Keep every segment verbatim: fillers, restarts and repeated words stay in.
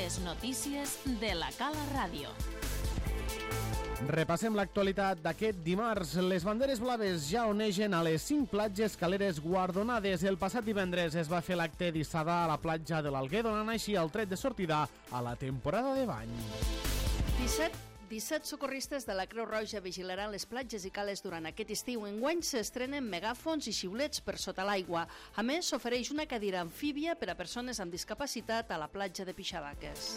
Les notícies de la Cala Ràdio. Repassem l'actualitat d'aquest dimarts. Les banderes blaves ja onegen a les cinc platges caleres guardonades. El passat divendres es va fer l'acte d'hissada a la platja de l'Alguer, donant així el tret de sortida a la temporada de bany. disset socorristes de la Creu Roja vigilaran les platges i cales durant aquest estiu. Enguany s'estrenen megàfons i xiulets per sota l'aigua. A més, s'ofereix una cadira amfíbia per a persones amb discapacitat a la platja de Pixabaques.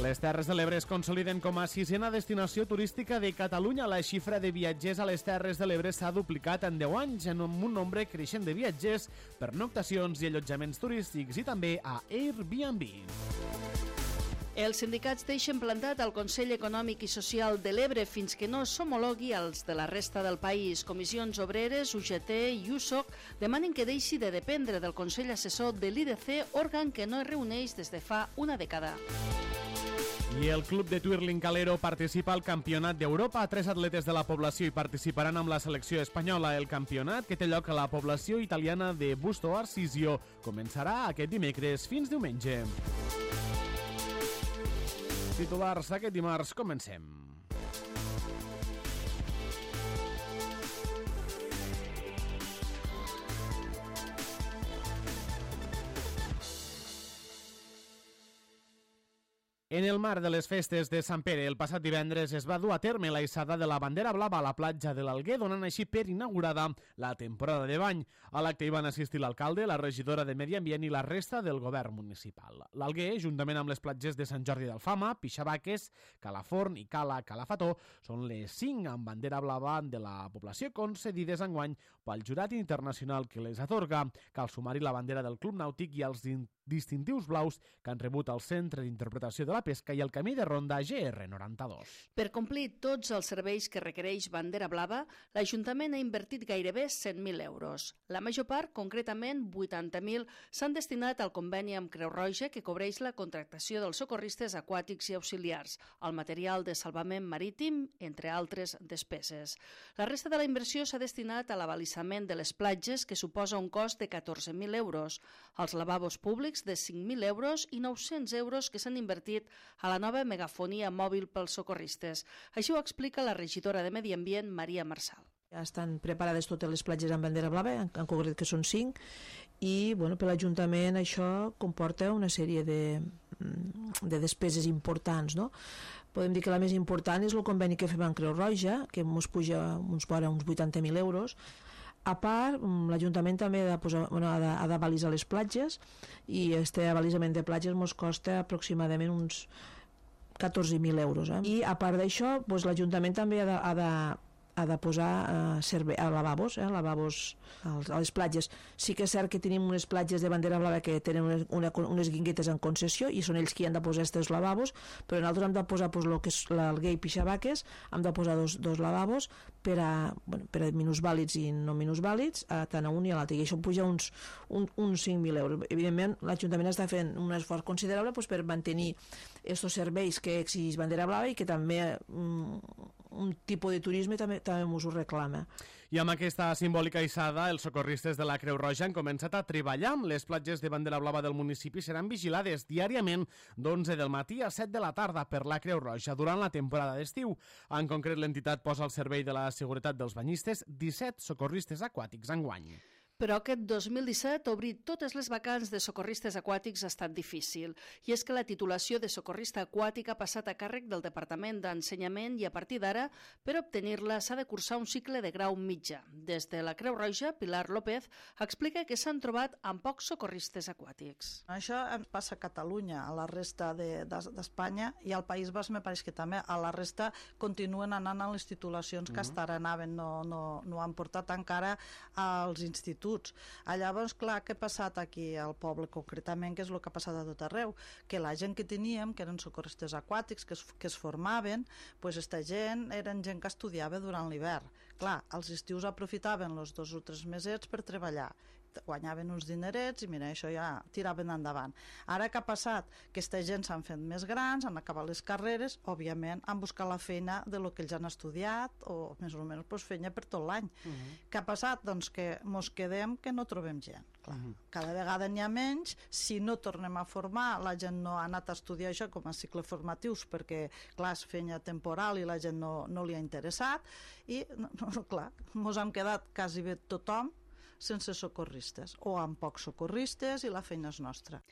Les Terres de l'Ebre es consoliden com a sisena destinació turística de Catalunya. La xifra de viatgers a les Terres de l'Ebre s'ha duplicat en deu anys, en un nombre creixent de viatgers, pernoctacions i allotjaments turístics i també a Airbnb. Els sindicats deixen plantat el Consell Econòmic i Social de l'Ebre fins que no s'homologui als de la resta del país. Comissions Obreres, U G T i U S O C demanen que deixi de dependre del Consell Assessor de l'I D C, òrgan que no es reuneix des de fa una dècada. I el club de Twirling Calero participa al Campionat d'Europa. Tres atletes de la població hi participaran amb la selecció espanyola. El campionat, que té lloc a la població italiana de Busto Arsizio, començarà aquest dimecres fins diumenge. Titulars aquest dimarts, comencem. En el marc de les festes de Sant Pere, el passat divendres es va dur a terme la hissada de la bandera blava a la platja de l'Alguer, donant així per inaugurada la temporada de bany. A l'acte hi van assistir l'alcalde, la regidora de Medi Ambient i la resta del govern municipal. L'Alguer, juntament amb les platges de Sant Jordi d'Alfama, Pixabaques, Calaforn i Cala Calafató, són les cinc amb bandera blava de la població concedides enguany pel jurat internacional que les atorga. Cal sumar-hi la bandera del Club Nàutic i els distintius blaus que han rebut el Centre d'Interpretació de la Pesca i el Camí de Ronda G R noranta-dos. Per complir tots els serveis que requereix bandera blava, l'Ajuntament ha invertit gairebé cent mil euros. La major part, concretament vuitanta mil, s'han destinat al conveni amb Creu Roja que cobreix la contractació dels socorristes aquàtics i auxiliars, el material de salvament marítim, entre altres despeses. La resta de la inversió s'ha destinat a l'abalisament de les platges, que suposa un cost de catorze mil euros, als lavabos públics de cinc mil euros i nou-cents euros que s'han invertit a la nova megafonia mòbil pels socorristes. Així ho explica la regidora de Medi Ambient, Maria Marçal. Ja estan preparades totes les platges amb bandera blava, en, en concret que són cinc, i bueno, per l'Ajuntament això comporta una sèrie de, de despeses importants, no? Podem dir que la més important és el conveni que fem amb Creu Roja, que ens puja uns, uns vuitanta mil euros. A part, l'Ajuntament també ha de posar, bueno, ha d'avalisar les platges, i este avalisament de platges ens costa aproximadament uns catorze mil euros. Eh? I a part d'això, doncs, l'Ajuntament també ha de, ha de ha de posar eh, serve, a lavabos, eh, lavabos als, a les platges. Sí que és cert que tenim unes platges de bandera blava que tenen unes, una, unes guinguetes en concessió i són ells qui han de posar aquests lavabos, però nosaltres hem de posar pues, lo que és l'Alguer i Pixabaques, hem de posar dos, dos lavabos per a, bueno, per a minusvàlids i no minusvàlids, a, tant a un i a l'altre, i això puja uns, un, uns cinc mil euros. Evidentment, l'Ajuntament està fent un esforç considerable pues, per mantenir aquests serveis que exigeix bandera blava i que també um, un tipus de turisme també també us ho reclama. I amb aquesta simbòlica hissada, els socorristes de la Creu Roja han començat a treballar. Les platges de bandera blava del municipi seran vigilades diàriament d'onze del matí a set de la tarda per la Creu Roja durant la temporada d'estiu. En concret, l'entitat posa al servei de la seguretat dels banyistes disset socorristes aquàtics enguany. Però aquest dos mil disset obrir totes les vacants de socorristes aquàtics ha estat difícil. I és que la titulació de socorrista aquàtic ha passat a càrrec del Departament d'Ensenyament i a partir d'ara, per obtenir-la, s'ha de cursar un cicle de grau mitjà. Des de la Creu Roja, Pilar López explica que s'han trobat amb pocs socorristes aquàtics. Això ens passa a Catalunya, a la resta d'Espanya de, i al País Basc me pareix que també. A la resta continuen anant a les titulacions que mm-hmm. hasta ara anaven, no, no, no han portat encara als instituts. Llavors, clar, què ha passat aquí al poble concretament, que és el que ha passat a tot arreu, que la gent que teníem, que eren socorristes aquàtics, que es, que es formaven, pues esta gent eren gent que estudiava durant l'hivern. Clar, els estius aprofitaven els dos o tres mesets per treballar guanyaven uns dinerets i mira, això ja tiraven endavant. Ara que ha passat? Que aquesta gent s'han fet més grans, han acabat les carreres, òbviament han buscat la feina de lo que ells han estudiat o més o menys pues, feina per tot l'any. Uh -huh. Què ha passat? Doncs que mos quedem que no trobem gent. Clar. Uh -huh. Cada vegada n'hi ha menys, si no tornem a formar, la gent no ha anat a estudiar això com a cicle formatius perquè, clar, és feina temporal i la gent no, no li ha interessat i, no, no, clar, mos hem quedat quasi bé tothom sense socorristes o amb pocs socorristes i la feina és nostra.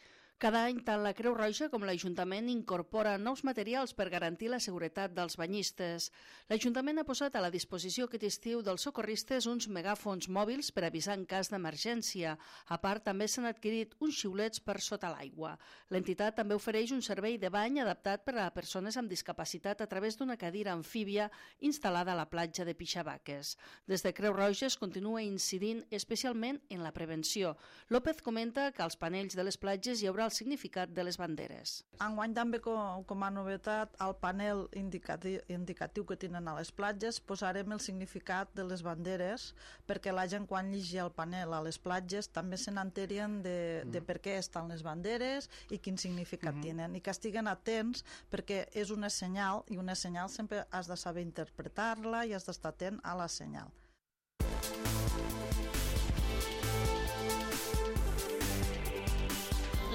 Cada any, tant la Creu Roja com l'Ajuntament incorpora nous materials per garantir la seguretat dels banyistes. L'Ajuntament ha posat a la disposició aquest estiu dels socorristes uns megàfons mòbils per avisar en cas d'emergència. A part, també s'han adquirit uns xiulets per sota l'aigua. L'entitat també ofereix un servei de bany adaptat per a persones amb discapacitat a través d'una cadira amfíbia instal·lada a la platja de Pixabaques. Des de Creu Roja es continua incidint especialment en la prevenció. López comenta que als panells de les platges hi haurà el significat de les banderes. Enguany també com, com a novetat al panel indicatiu, indicatiu que tenen a les platges posarem el significat de les banderes perquè la gent quan llegi el panel a les platges també se n'enterien de, de per què estan les banderes i quin significat mm-hmm. tenen i que estiguen atents perquè és una senyal i una senyal sempre has de saber interpretar-la i has d'estar atent a la senyal.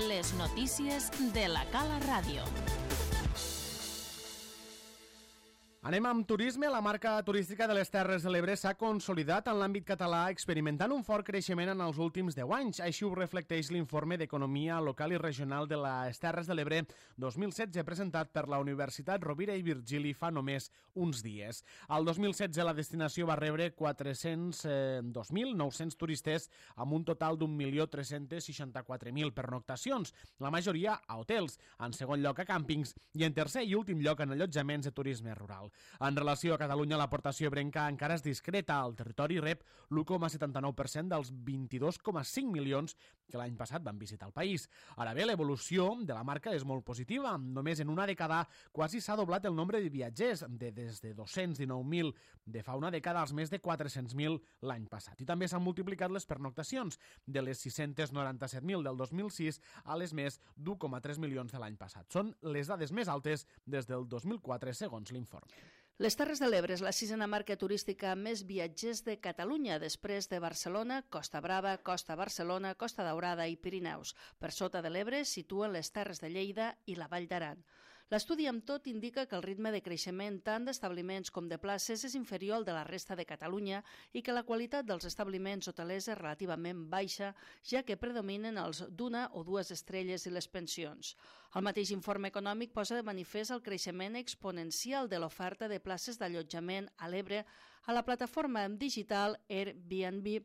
Les notícies de la Cala Ràdio. Anem amb turisme. La marca turística de les Terres de l'Ebre s'ha consolidat en l'àmbit català, experimentant un fort creixement en els últims deu anys. Així ho reflecteix l'informe d'Economia Local i Regional de les Terres de l'Ebre dos mil setze, presentat per la Universitat Rovira i Virgili fa només uns dies. Al dos mil setze la destinació va rebre quatre-cents dos mil nou-cents turistes amb un total d'un milió tres-cents seixanta-quatre mil pernoctacions, la majoria a hotels, en segon lloc a càmpings i en tercer i últim lloc en allotjaments de turisme rural. En relació a Catalunya, l'aportació ebrenca encara és discreta. El territori rep l'u coma setanta-nou per cent dels vint-i-dos coma cinc milions que l'any passat van visitar el país. Ara bé, l'evolució de la marca és molt positiva. Només en una dècada quasi s'ha doblat el nombre de viatgers, de des de dos-cents dinou mil de fa una dècada als més de quatre-cents mil l'any passat. I també s'han multiplicat les pernoctacions, de les sis-cents noranta-set mil del dos mil sis a les més d'u coma tres milions de l'any passat. Són les dades més altes des del dos mil quatre, segons l'informe. Les Terres de l'Ebre és la sisena marca turística amb més viatgers de Catalunya, després de Barcelona, Costa Brava, Costa Barcelona, Costa Daurada i Pirineus. Per sota de l'Ebre situen les Terres de Lleida i la Vall d'Aran. L'estudi amb tot indica que el ritme de creixement tant d'establiments com de places és inferior al de la resta de Catalunya i que la qualitat dels establiments hotelers és relativament baixa, ja que predominen els d'una o dues estrelles i les pensions. El mateix informe econòmic posa de manifest el creixement exponencial de l'oferta de places d'allotjament a l'Ebre a la plataforma digital Airbnb.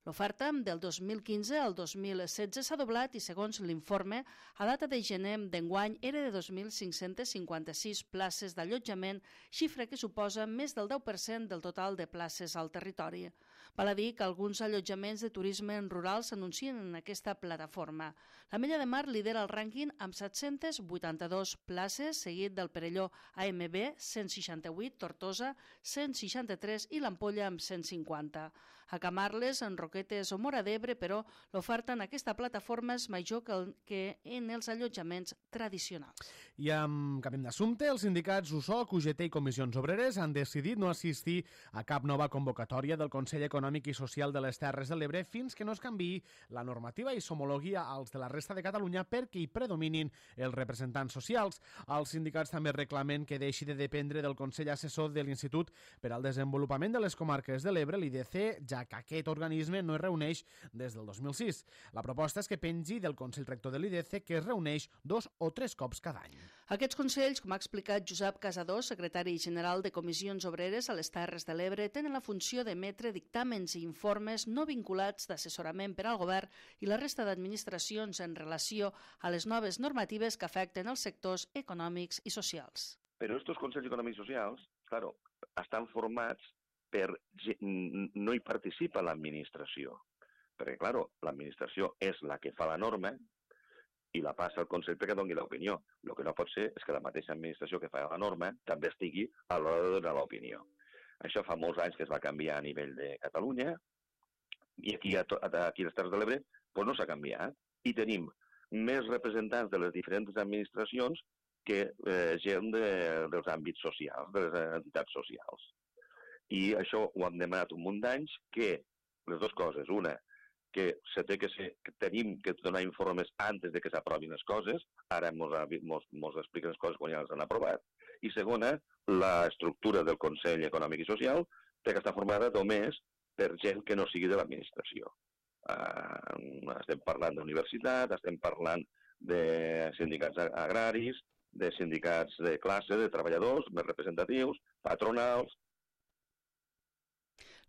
L'oferta del dos mil quinze al dos mil setze s'ha doblat i, segons l'informe, a data de gener d'enguany era de dos mil cinc-cents cinquanta-sis places d'allotjament, xifra que suposa més del deu per cent del total de places al territori. Val a dir que alguns allotjaments de turisme rural s'anuncien en aquesta plataforma. La Mella de Mar lidera el rànquing amb set-cents vuitanta-dos places, seguit del Perelló A M B, cent seixanta-vuit, Tortosa, cent seixanta-tres i l'Ampolla amb cent cinquanta. A Camarles, en Roquetes o Móra d'Ebre, però, l'oferta en aquesta plataforma és major que, el, que en els allotjaments tradicionals. I amb canvi d'assumpte, els sindicats U S O C, U G T i Comissions Obreres han decidit no assistir a cap nova convocatòria del Consell Econòmic i Social de les Terres de l'Ebre fins que no es canviï la normativa i s'homologui als de la resta de Catalunya perquè hi predominin els representants socials. Els sindicats també reclamen que deixi de dependre del Consell Assessor de l'Institut per al Desenvolupament de les Comarques de l'Ebre, l'I D C, ja que aquest organisme no es reuneix des del dos mil sis. La proposta és que pengi del Consell Rector de l'I D C, que es reuneix dos o tres cops cada any. Aquests consells, com ha explicat Josep Casador, secretari general de Comissions Obreres a les Terres de l'Ebre, tenen la funció d'emetre dictàmens i informes no vinculats d'assessorament per al govern i la resta d'administracions en relació a les noves normatives que afecten els sectors econòmics i socials. Però estos consells econòmics i socials, claro, estan formats per... no hi participa l'administració, perquè, claro, l'administració és la que fa la norma i la passa al Consell perquè doni l'opinió. El que no pot ser és que la mateixa administració que fa la norma també estigui a l'hora de donar l'opinió. Això fa molts anys que es va canviar a nivell de Catalunya, I aquí a, aquí a les Terres de l'Ebre pues no s'ha canviat. I tenim més representants de les diferents administracions que eh, gent de, dels àmbits socials, de les entitats socials. I això ho hem demanat un munt d'anys, que les dues coses, una, que se té que ser, que tenim que donar informes antes de que s'aprovin les coses, ara ens expliquen les coses quan ja les han aprovat, i segona, l'estructura del Consell Econòmic i Social té que estar formada només per gent que no sigui de l'administració. Uh, estem parlant d'universitat, estem parlant de sindicats agraris, de sindicats de classe, de treballadors més representatius, patronals.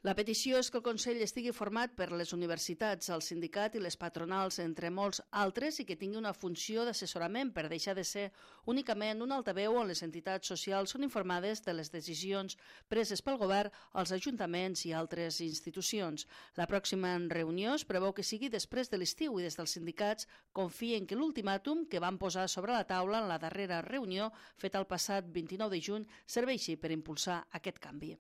La petició és que el Consell estigui format per les universitats, el sindicat i les patronals, entre molts altres, i que tingui una funció d'assessorament per deixar de ser únicament un altaveu on les entitats socials són informades de les decisions preses pel govern, els ajuntaments i altres institucions. La pròxima reunió es preveu que sigui després de l'estiu i des dels sindicats confien que l'ultimàtum que van posar sobre la taula en la darrera reunió feta el passat vint-i-nou de juny serveixi per impulsar aquest canvi.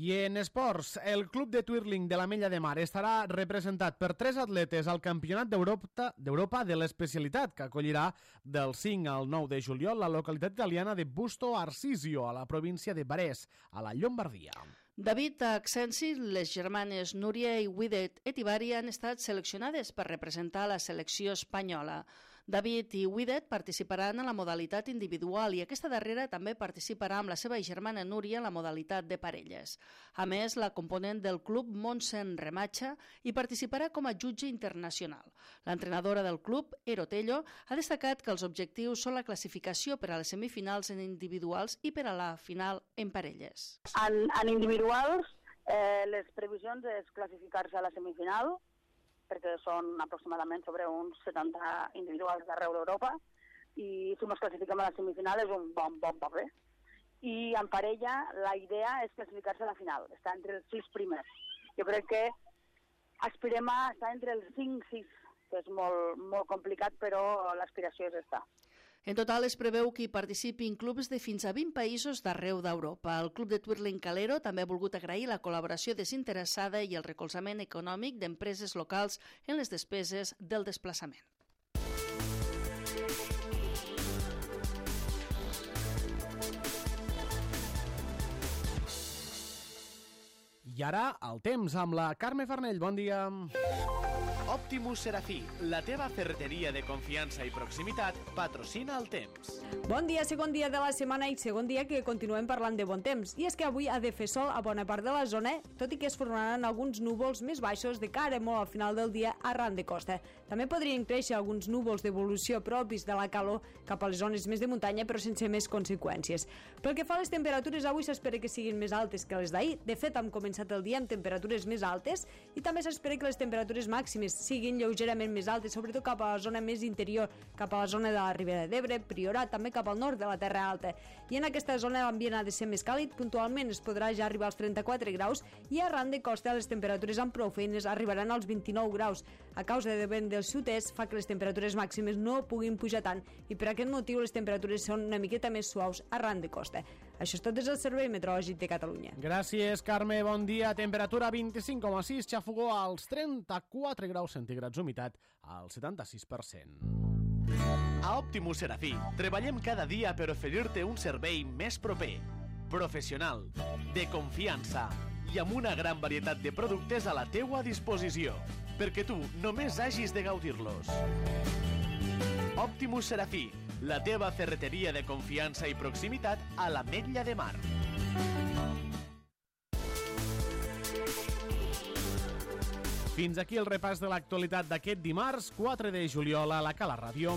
I en esports, el club de twirling de l'Ametlla de Mar estarà representat per tres atletes al Campionat d'Europa de l'especialitat, que acollirà del cinc al nou de juliol la localitat italiana de Busto Arsizio, a la província de Varese, a la Llombardia. David Accensi, les germanes Núria i Widet Etivari han estat seleccionades per representar la selecció espanyola. David i Widet participaran en la modalitat individual i aquesta darrera també participarà amb la seva germana Núria en la modalitat de parelles. A més, la component del club, Montse Remacha, hi participarà com a jutge internacional. L'entrenadora del club, Ero Tello, ha destacat que els objectius són la classificació per a les semifinals en individuals i per a la final en parelles. En, en individuals, eh, les previsions és classificar-se a la semifinal, perquè són aproximadament sobre uns setanta individuals d'arreu d'Europa, i si ens classifiquem a la semifinal és un bon, bon paper. I en parella la idea és classificar-se a la final, estar entre els sis primers. Jo crec que aspirem a estar entre els cinc sis, que és molt, molt complicat, però l'aspiració és estar. En total es preveu que hi participin clubs de fins a vint països d'arreu d'Europa. El Club de Twirling Calero també ha volgut agrair la col·laboració desinteressada i el recolzament econòmic d'empreses locals en les despeses del desplaçament. I ara, el temps amb la Carme Farnell. Bon dia. Optimus Serafí, la teva ferreteria de confiança i proximitat, patrocina el temps. Bon dia, segon dia de la setmana i segon dia que continuem parlant de bon temps. I és que avui ha de fer sol a bona part de la zona, tot i que es formaran alguns núvols més baixos de cara molt al final del dia arran de costa. També podrien créixer alguns núvols d'evolució propis de la calor cap a les zones més de muntanya, però sense més conseqüències. Pel que fa a les temperatures, avui s'espera que siguin més altes que les d'ahir. De fet, hem començat el dia amb temperatures més altes i també s'espera que les temperatures màximes siguin lleugerament més altes, sobretot cap a la zona més interior, cap a la zona de la Ribera d'Ebre, Priorat, també cap al nord de la Terra Alta. I en aquesta zona l'ambient ha de ser més càlid, puntualment es podrà ja arribar als trenta-quatre graus i arran de costa les temperatures amb prou feines arribaran als vint-i-nou graus. A causa de vent del sud-est fa que les temperatures màximes no puguin pujar tant i per aquest motiu les temperatures són una miqueta més suaus arran de costa. Això és tot des del Servei Meteorològic de Catalunya. Gràcies, Carme. Bon dia. Temperatura vint-i-cinc coma sis, xafogó als trenta-quatre graus centígrads, humitat al setanta-sis per cent. A Optimus Serafí treballem cada dia per oferir-te un servei més proper, professional, de confiança i amb una gran varietat de productes a la teua disposició, perquè tu només hagis de gaudir-los. Optimus Serafí, la teva ferreteria de confiança i proximitat a l'Ametlla de Mar. Fins aquí el repàs de l'actualitat d'aquest dimarts, quatre de juliol, a la Cala Ràdio.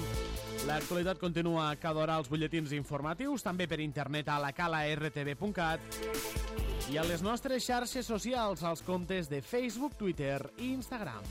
L'actualitat continua cada hora als butlletins informatius, també per internet a la cala r t v punt cat i a les nostres xarxes socials, als comptes de Facebook, Twitter i Instagram.